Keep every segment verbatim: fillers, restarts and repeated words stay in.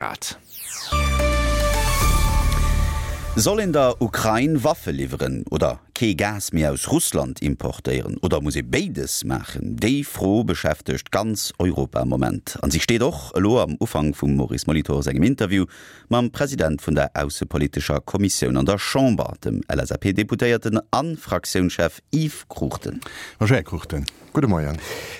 Grad. Soll een der Ukrain Waffe liwweren oder kee Gas méi aus Russland importéieren? Oder muss ee béides maachen? Déi Fro beschäftegt ganz Europa am Moment. An si steet och elo am Ufank vum Maurice Molitor sengem Interview mam President vun der aussepolitescher Kommissioun an der Chamber, dem L S A P-Deputéierten a Fraktiounschef Yves Cruchten. Bonjour Här Cruchten. Gudde Moien.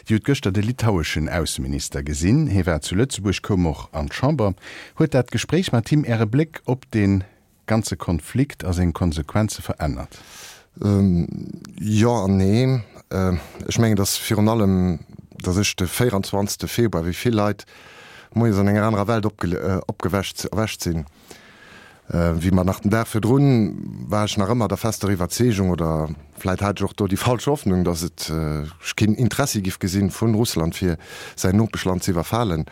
Dir hutt gëschter de litaueschen Ausseminister gesinn. Hie war zu Lëtzebuerg, koum och an d'Chamber. Huet dat Gespréich mat him Äre Bléck op dee ganze Konflikt a seng Konsequenze verännert? Jo an nee. Ech mengen, datt virun allem, datt ech de véierundzwanzegste Februar, wéi vill Leit, moies an enger anerer Welt opgewächt erwächt sinn, wéi mer nach den Dag virdrun war ech nach ëmmer der fester Iwwerzeegung, oder vläit hat ech och do déi falsch Hoffnung, datt et ech keen Interessi giff gesinn vun Russland fir säin Nopeschland ze iwwerfalen.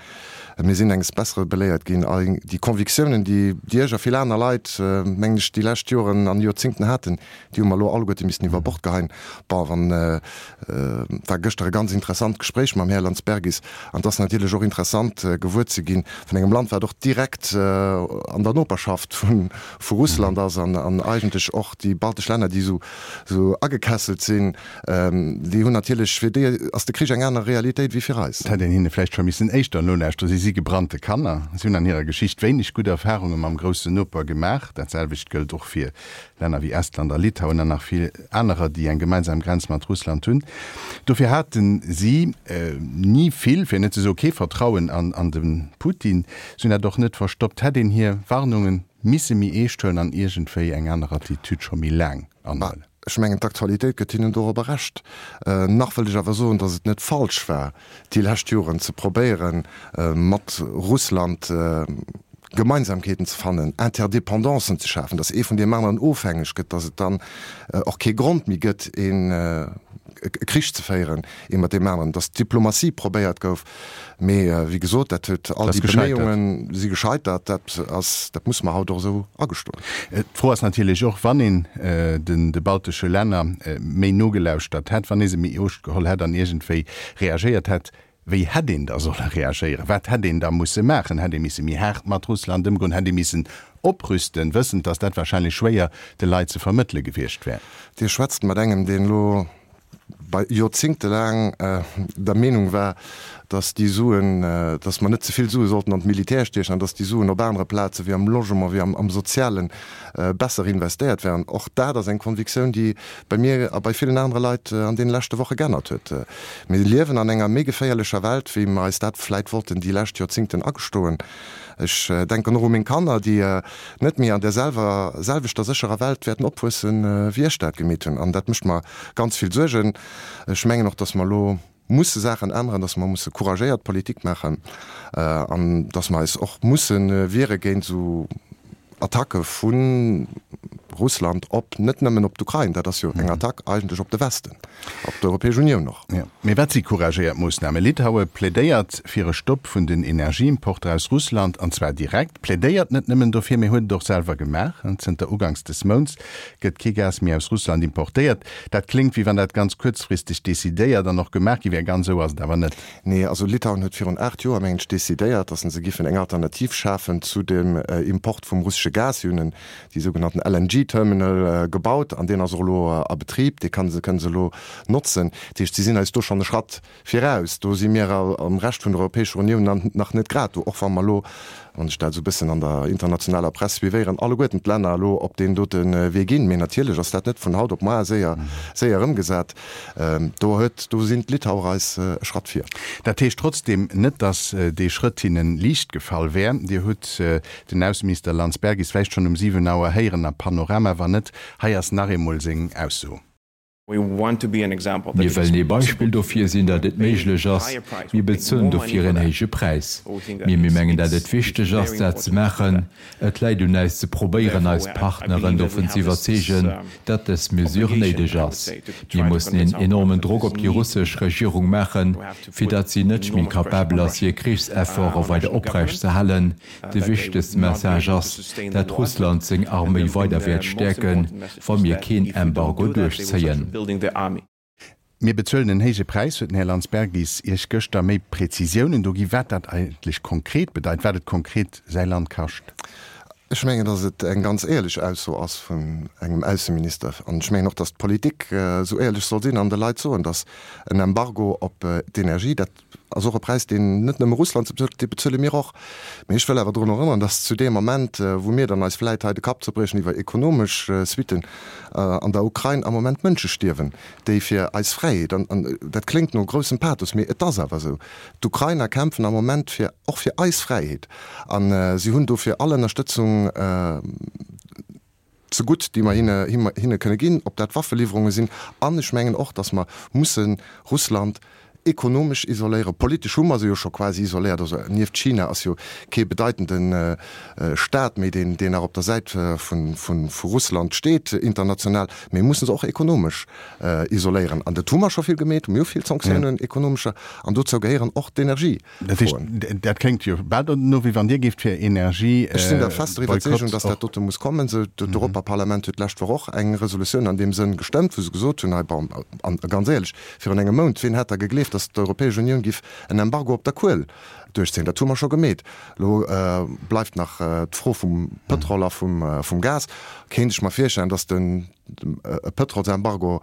Mir sinn enges Bessere beléiert ginn. All déi Convictiounen, déi déi ech a vill aner Leit, mengen ech, déi lescht Joren an Joerzingten haten, déi hu mer elo alleguerte missten iwwer Bord geheien. Bon, wann, war gëschter e ganz interessant Gespréich mam Här Landsbergis an et ass natierlech och interessant gewuer ze ginn vun engem Land, wat och direkt an der Noperschaft vu vu Russland ass an an eigentlech och déi baltesch Länner, déi esou esou agekesselt sinn, déi hunn natierlech, fir déi ass de Krich eng aner Realitéit wéi fir eis. Et hätt een hinne vläicht scho missen éischter nolauschteren. Si si gebrannte Kanner. Si hunn an hirer Geschicht wéineg gutt Erfarunge mam groussen Noper gemaach. Dat selwecht gëllt och fir Länner wéi Estland a Litauen an nach vill anerer, déi eng gemeinsam Grenz mat Russland hunn. Dofir hate si ni vill, fir net ze soe kee Vertrauen an de Putin. Si hunn dat och net verstoppt. Hätt een hir Warnunge misse méi eescht huelen an iergendwéi eng aner Attitüd scho méi laang anhuelen? Ech mengen, d'Aktualitéit gëtt hinnen dorobber Recht. Nach wëllt ech awer soen, datt et net falsch war, déi lescht Joren ze probéieren, mat Russland Gemeinsamkeeten ze fannen, Interdependancen ze schafen, datt ee vun deem aneren ofhängeg gëtt, datt et dann och kee Grond méi gëtt, een e Krich ze féieren, ee mat deem aneren, datt d'Diplomatie probéiert gouf. Mee wéi gesot, dat huet all déi Beméiunge si gescheitert. Dat ass, dat musse mer haut och esou agestoen. D'Fro ass natierlech och, wann een de baltesche Länner méi nogelauschtert hätt, wann ee se méi eescht geholl hätt an iergendwéi reagéiert hätt, wéi hätt een da solle reagéieren? Wat hätt een da musse maachen? Hätt ee misse méi haart mat Russland ëmgoen? Hätt ee missen oprüsten, wëssend, datt dat wahrscheinlech schwéier de Leit ze vermëttele gewiescht wär? Dir schwätzt mat engem, deen elo bei joerzingtelaang der Meenung war, datt déi Suen, datt mer net ze vill Sue sollten an d'Militär stiechen an datt déi Suen op anere Plaze wéi am Logement, wéi am Soziale besser investéiert wären. Och dat ass eng Convictioun, déi bei mir a bei villen anere Leit an deene leschte Woche geännert huet. Mir liewen an enger méi geféierlecher Welt, wéi mer eis dat vläit wollten déi lescht Joerzingten agestoen. Ech denken och u meng Kanner, déi net méi an där selwer selwechter sécherer Welt wäerten opwuessen, wéi ech dat gemeet hunn. An dat mécht mer ganz vill Suergen. Ech mengen och, dass mer elo musse Saachen änneren, dass mer musse couragéiert Politik maachen an dass mer eis och musse wiere géint esou Attacke vu Russland op, net nëmmen op d'Ukrain, dat ass jo eng Attack eigentlech op de Westen, op d'Europäesch Unioun och. Jo, mee wat si couragéiert Moossnamen? Litaue plädéiert fir e Stopp vun den Energieimporter aus Russland, an zwar direkt. Plädéiert net nëmmen dofir, mee huet et och selwer gemaach. Zënter uganks des Mounts gëtt kee Gas méi aus Russland importéiert. Dat kléngt, wéi wann dat ganz kuerzfristeg decidéiert an och gemaach gi wär. Ganz esou ass et awer net. Nee, also Litauen huet virun aacht Joer, mengen ech, decidéiert, datt se giffen eng Alternativ schafen zu dem Import vum russesche Gas. Si hunn déi sougenannten L N G Terminal gebaut an deen ass och elo a Betrib, dee kann se, kënne se elo notzen. Dat heescht, si sinn eis do schonn e Schratt viraus. Do si mir am Rescht vun der Europäescher Unioun nach net grad do, och wa mer elo, wann ech dat esou e bëssen an der internationaler Press suivéieren, alleguerten d'Länner elo op deen dote Wee ginn. Mee natierlech ass dat net vun haut op moar séier, séier ëmgesat. Do huet, do sinn d'Litauer eis e Schratt vir. Dat heescht trotzdeem net, datt dee Schrëtt hinne liicht gefall wär. Dir hutt den Ausseminister Landsbergis vläicht schonn um siwen Auer héieren am Panorama. Wann net, hei ass nach eemol seng Ausso. Mir wëllen ee Beispill dofir sinn, datt et méiglech ass. Mir bezuelen dofir en héije Präis. Mee mir mengen, datt et wichteg ass, dat ze maachen. Et läit un äis ze probéieren, eis Partneren dovun ze iwwerzeegen, datt dës Mesure néideg ass. Mir mussen een enormen Drock op déi russesch Regierung maachen, fir datt si net méi capabel ass, hir Krichsefforte weider oprecht ze halen. De wichtegste Message ass, datt Russland seng Arméi weider wäert stäerken, wa mir keen Embargo duerchzéien. Mir bezuelen en héije Präis, huet den Här Landsbergis Iech gëschter méi Präzisiounen do gi wat dat eigentlech konkret bedeit, wat et konkret säi Land kascht. Ech mengen, datt et eng ganz éierlech Ausso ass vun engem Ausseminister. An ech mengen och, datt d'Politik esou éierlech soll sinn an de Leit soen, datt en Embargo op d'Energie, dat ass och e Präis, deen net nëmme Russland ze bezuelt, dee bezuele mir och. Mee ech wëll awer drun erënneren, datt zu deem Ament, wou mir dann eis vläit hei de Kapp zerbriechen iwwer ekonomesch Suitten, an der Ukrain am Moment Mënsche stierwen, déi fir eis Fräiheet, an dat kléngt no groussem Pathos, mee et ass awer esou, d'Ukrainer kämpfen am Moment fir och fir eis Fräiheet a si hunn dofir all Ënnerstëtzung zegutt, déi mer hinne hinne kënne ginn, ob dat Waffeliwwerunge sinn. An ech mengen och, datt mer musse Russland ekonomesch isoléieren. Politesch hu mer se jo scho quasi isoléiert. Also nieft China ass jo kee bedeitende Staat méi, deen deen nach op der Säit vu vu Russland steet international. Mee mir musse se och ekonomesch isoléieren. An dat hu mer scho vill gemeet. Mir hu vill Sanktiounen, ekonomescher, an dozou gehéieren och d'Energie. Dat heescht, dat kléngt jo bal dono, wéi wann Dir géift fir Energie. Ech sinn der fester Iwwerzeegung, datt dat dote muss kommen. D'Europaparlament huet d'lescht Woch och eng Resolutioun an deem Sënn gestëmmt, wou se gesot hunn, hei, bon, an ganz éierlech, virun engem Mount, wien hätt da gegleeft, datt d'Europäesch Unioun giff en Embargo op der Kuel duerchzéien? Dat hu mer scho gemeet. Elo bleift nach d'Fro vum Pëtrol a vum Gas. Kéint ech mer virstellen, datt den e Pëtrolsembargo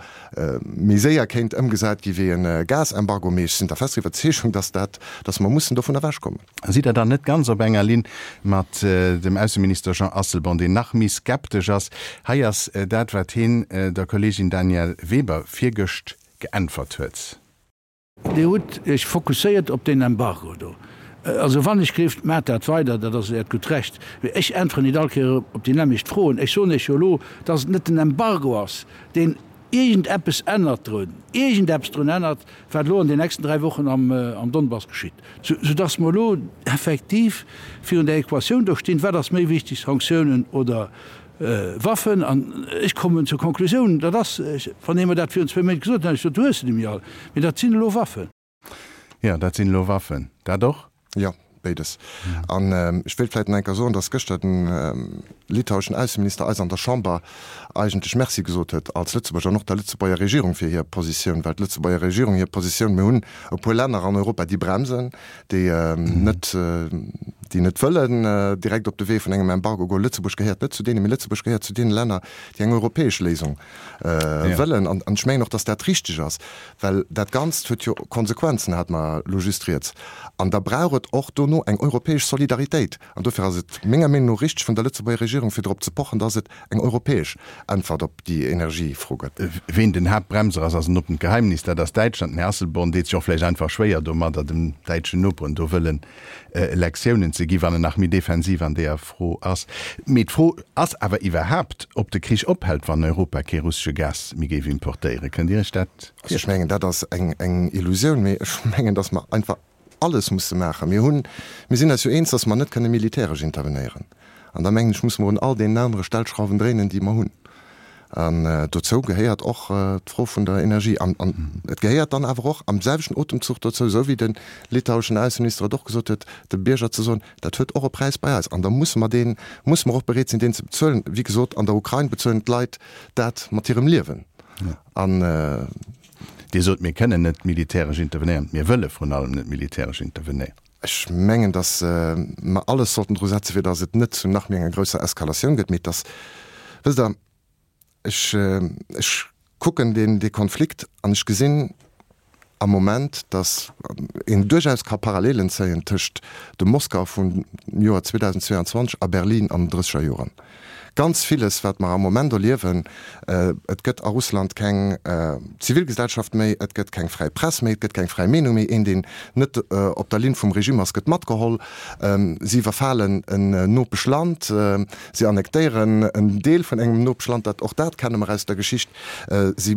méi séier kéint ëmgesat gi wéi e Gasembargo, mee ech sinn der fester Iwwerzeegung, dass dat, dass mer mussen dovun ewechkommen. Sidd Der dann net ganz op enger Linn mat dem Ausseminister Jean Asselborn, deen nach méi skeptesch ass? Hei ass dat, wat hien der Kolleegin Danièle Weber virgëscht geäntwert huet. Dir hutt Iech fokusséiert op deen Embargo do. Also wann ech gleeft, maacht dat weider, dat ass Äert gutt Recht. Mee ech äntweren nit all Kéier op déi nämmlecht Froen. Ech soen Iech jo elo, dass et net den Embargo ass, deen iergendeppes ännert drun, iergendeppes drun ännert, wat elo an den nächsten dräi Wochen am Donbass geschitt. Soudass mer elo effektiv virun der Equatioun do stinn, Wat ass méi wichteg, Sanktiounen oder Waffen? An ech kommen zur Konklusioun, dat ass, wann ee mer dat virun zwee Méint gesot hätt, hätt ech gesot, du hues se nemmi all. Mee dat sinn elo Waffen. Jo, dat sinn elo Waffen. Dat och? Jo, béides. An ech wéilt vläicht nach eng Kéier soen, datt gëschter de litaueschen Ausseminister eis an der Chamber eigentlech Merci gesot huet als Lëtzebuerger an och der Lëtzebuerger Regierung fir hir Positioun, well d'Lëtzebuerger Regierung hir Positioun, mir hunn e puer Länner an Europa, déi bremsen, déi net, déi net wëllen direkt op de Wee vun engem Embargo goen. Lëtzebuerg gehéiert net zu deenen, mee Lëtzebuerg gehéiert zu deene Länner, déi eng europäesch Léisung wëllen. An ech mengen och, datt dat richteg ass, well dat Ganzt huet jo Konsequenzen, hat mer elo just rieds. An da brauch et och dono eng europäesch Solidaritéit. An dofir ass et menger Meenung no richteg vun der Lëtzebuerger Regierung, fir drop ze pochen, datt et eng europäesch Äntwert op déi Energiefro gëtt. Ween den Haaptbremser ass, ass en oppent Geheimnis, dat ass Däitschland. Den Här Asselborn deet sech och vläicht einfach schwéier domadder, dem däitschen Noperen do wëllen Lektiounen ze ginn, wann en nach méi defensiv an deeër Fro ass. Mee d'Fro ass awer iwwerhaapt, ob de Krich ophält, wann Europa kee russesche Gas méi géif importéieren. Kënnt Dir Iech dat Also ech mengen, dat ass eng Illusioun, mee ech mengen, datt mer einfach alles musse maachen. Mir hunn, mir sinn eis jo eens, datt mer net kënne militäresch intervenéieren. An da mengen ech, musse mer un all deenen anere Stellschrauwen dréinen, déi mer hunn. An dozou gehéiert och d'Fro vun der Energie. An et gehéiert dann awer och am selwechten Otemzuch dozou, esou wéi de litaueschen Ausseminister et och gesot huet, de Bierger ze soen, dat huet och e Präis bei eis an da musse mer deen, musse mer och bereet sinn, deen ze bezuelen. Wéi gesot, an der Ukrain bezuelen d'Leit dat mat hirem Liewen. An. Dir sot, mir kënnen net militäresch intervenéieren. Mir wëlle vrun allem net militäresch intervenéieren. Ech mengen, datt mer alles sollten dru setzen, fir datt et net zu nach méi enger grousser Eskalatioun gëtt, mee datt, wësst Der, ech, ech kucken deen, dee Konflikt an ech gesinn am Moment, datt een duerchaus ka Parallelen zéien tëscht dem Moskau vum Joer zweedausendzweeanzwanzeg a Berlin an den drësseger Joren. Ganz villes, wat mer am Moment erliewen, et gëtt a Russland keng Zivilgesellschaft méi, et gëtt keng fräi Press méi, et gëtt keng fräi Meenung méi, een, deen net op der Linn vum Regime ass, gëtt matgeholl, si iwwerfalen en Nopeschland, si annektéieren en Deel vun engem Nopeschland, dat, och dat kenne mer aus der Geschicht, si,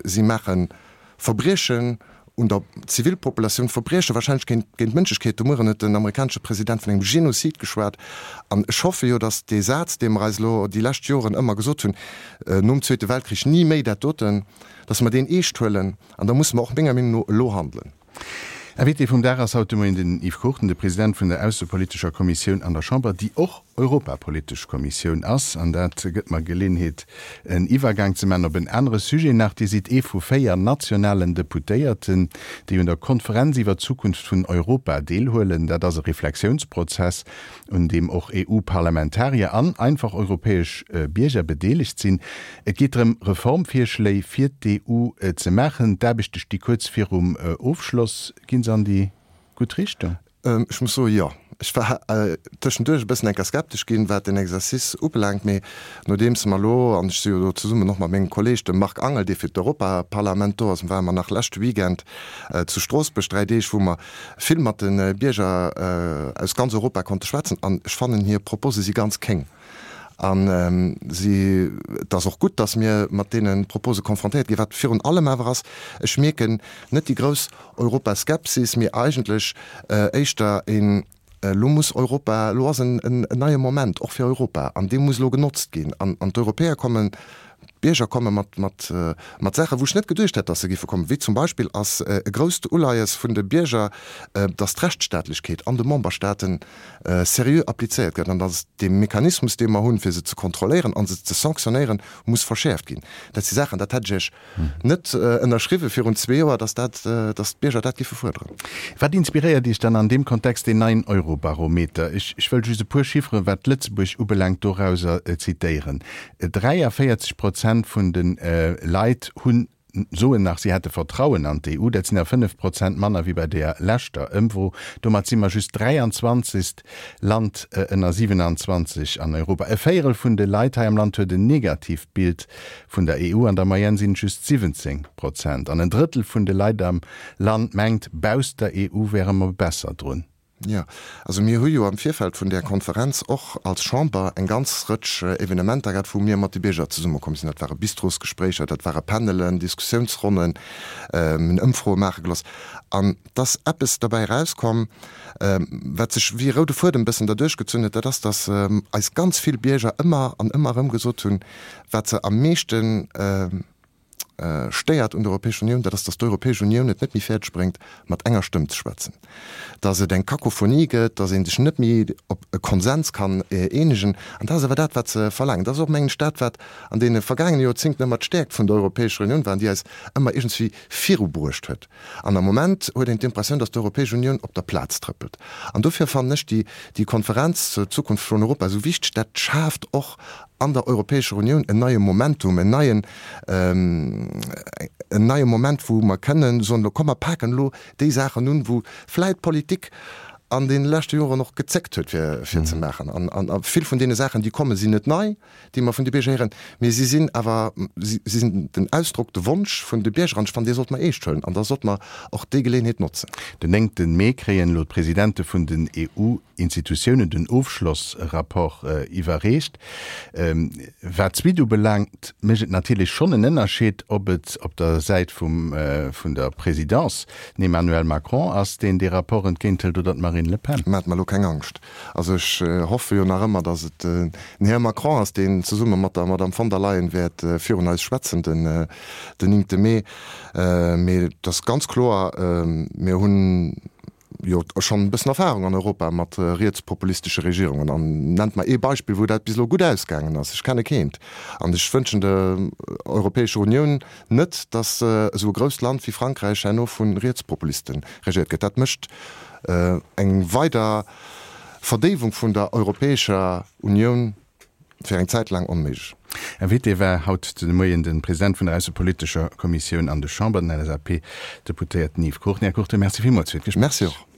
si maache Verbriechen un der Zivilpopulatioun, Verbrieche wahrscheinlech géint géint d'Mënschlechkeet. De Mueren huet den amerikanesche President vun engem Genozid geschwat. An ech hoffe jo, datt dee Saz, dee mer eis elo déi lescht Joren ëmmer gesot hunn, nom Zweete Weltkrich ni méi dat doten, datt mer deen eescht huelen. An da musse mer och menger Meenung no elo handelen. Invité vum Dag ass haut de Moien den Yves Cruchten, de President vun der aussepolitescher Kommissioun an der Chamber, déi och Europapolitesch Kommissioun ass. An dat gëtt mer Geleeënheet, en Iwwergang ze maachen op en anere Sujet nach. Dir sidd ee vu véier nationalen Deputéierten, déi un der Konferenz iwwer d'Zukunft vun Europa deelhuelen. Dat ass e Reflexiounsprozess, un deem och EU-Parlamentarier an einfach europäesch Bierger bedeelegt sinn. Et geet drëm, Reformvirschléi fir d'EU ze maachen. D'Aarbechte sti kuerz virum Ofschloss. Ginn se an déi gutt Richtung? Ech muss soen, jo. Ech war tëschenduerch e bëssen enker skeptesch ginn, wat den Exercice ubelaangt, mee nodeems mer elo, an ech si jo do zesummen och mat mengem Kolleeg, dem Marc Angel, dee fir d'Europaparlament do ass, ware mer nach leschte Weekend zu Stroossbuerg dräi Deeg, wou mer vill mat de Bierger aus ganz Europa konnte schwätzen, an ech fannen, hir Propose si ganz kéng. A si, et ass och gutt, datt mir mat deene Propose konfrontéiert ginn. Wat virun allem awer ass, ech mierken net déi grouss Europaskepsis, mee eigentlech éischter een, Elo muss Europa, elo ass en neie Moment och fir Europa an dee muss elo genotzt ginn. An d'Europäer kommen, d'Bierger komme mat, mat, mat Saachen, wou ech net geduecht hätt, datt se géife kommen, wéi zum Beispill ass e grousst Uleies vun de Bierger, datt d'Rechtsstaatlechkeet an de Memberstaaten seriö applizéiert gëtt an datt dee Mechanismus, dee mer hunn, fir se ze kontrolléieren a se ze sanctionnéieren, muss verschäerft ginn. Dat si Saachen, dat hätt ech Iech net ënnerschriwwe virun zwee Joer, datt dat, datt d'Bierger dat géife fuerderen. Wat inspiréiert Iech dann an deem Kontext deen neien Eurobarometer? Ech wëll just e puer Chifferen, wat Lëtzebuerg ubelaangt, dorauser zitéieren. dräiavéierzeg Prozent vun de Leit hunn, soen nach, si hätte Vertrauen an d'EU. Dat sinn der fënnef Prozent manner wéi bei der leschter Ëmfro. Domat si mer just dräianzwanzegst Land ënner siwenanzwanzeg an Europa. E Véierel vun de Leit hei am Land huet en negatiivt Bild vun der EU. An der Moyenne sinn et just siwwenzéng Prozent. An en Drëttel vun de Leit am Land mengt, bausst der EU wäre mer besser drun. Jo, also mir hu jo am Virfeld vun där Konferenz och als Chamber eng ganz Rëtsch Evenementer gehat, wou mir mat de Bierger zesummekomm sinn. Dat ware Bistrosgespréicher, dat ware Panelen, Diskussiounsronnen, mir hunn Ëmfroe maache gelooss. An et ass eppes derbäi erauskomm, wat sech wéi e roude Fuedem e bëssen derduerch gezunn huet, dat ass, datt eis ganz vill Bierger ëmmer an ëmmer erëm gesot hunn, wat se am meeschten stéiert un der Europäescher Unioun, dat ass, datt d'Europäesch Unioun et net méi fäerdeg bréngt, mat enger Stëmm ze schwätzen, datt et eng Kakophonie gëtt, datt ee sech net méi op e Konsens kann eenegen. An dat ass awer dat, wat se verlaangen. Dat ass och, mengen ech, dat, wat an deene vergaangene Joerzéngten ëmmer d'Stäerkt vun der Europäescher Unioun war an déi eis ëmmer iergendswéi virubruecht huet. An am Moment huet een d'Impressioun, datt d'Europäesch Unioun op der Plaz trëppelt. An dofir fannen ech déi, déi Konferenz zur Zukunft vun Europa esou wichteg. Dat schaaft och an der Europäescher Unioun en neie Momentum, en neien, en neie Moment, wou mer kënnen soen, elo komm mer paken elo déi Saachen un, wou vläit d'Politik an deene leschte Joren och gezéckt huet fir, fir ze maachen. An, an vill vun deene Saachen, déi kommen, sinn net nei, déi mer vun de Bierger héieren, mee si sinn awer, si sinn den Ausdrock, de Wonsch vun de Bierger an ech fannen, dee sollte mer eescht huelen an da sollte mer och déi Geleeënheet notzen. Den néngte Mee kréien elo d'Presidente vun den EU Institutiounen den Ofschlossrapport iwwerreecht. Wat d'Suite ubelaangt, mécht et natierlech schonn en Ënnerscheed, ob et op der Säit vum vun der Présidence den Emmanuel Macron ass, deen dee Rapport entgéinthëlt, oder d'Marine Le Pen. Maacht mer elo keng Angscht. Also ech hoffe jo nach ëmmer, datt et den Här Macron ass, deen zesumme mat der Madame von der Leyen wäert virun eis schwätzen den néngte Mee. Mee et ass ganz kloer, mir hunn jo schonn e bëssen Erfahrung an Europa mat rietspopulistesche Regierungen. An nennt mer ee Beispill, wou dat bis elo gutt ausgaangen ass. Ech kenne keent. An ech wënschen der Europäescher Unioun net, datt esou e grousst Land wéi Frankräich herno vu Rietspopuliste regéiert gëtt. Dat mécht eng weider Verdéiwung vun der Europäescher Unioun fir eng Zäit laang onméiglech. Invité war haut de Moien de President vun der aussepolitescher Kommissioun an der Chamber, den L S A P-Deputéierten Yves Cruchten. Här Cruchten, Merci villmools fir d'Gespréich. Merci och.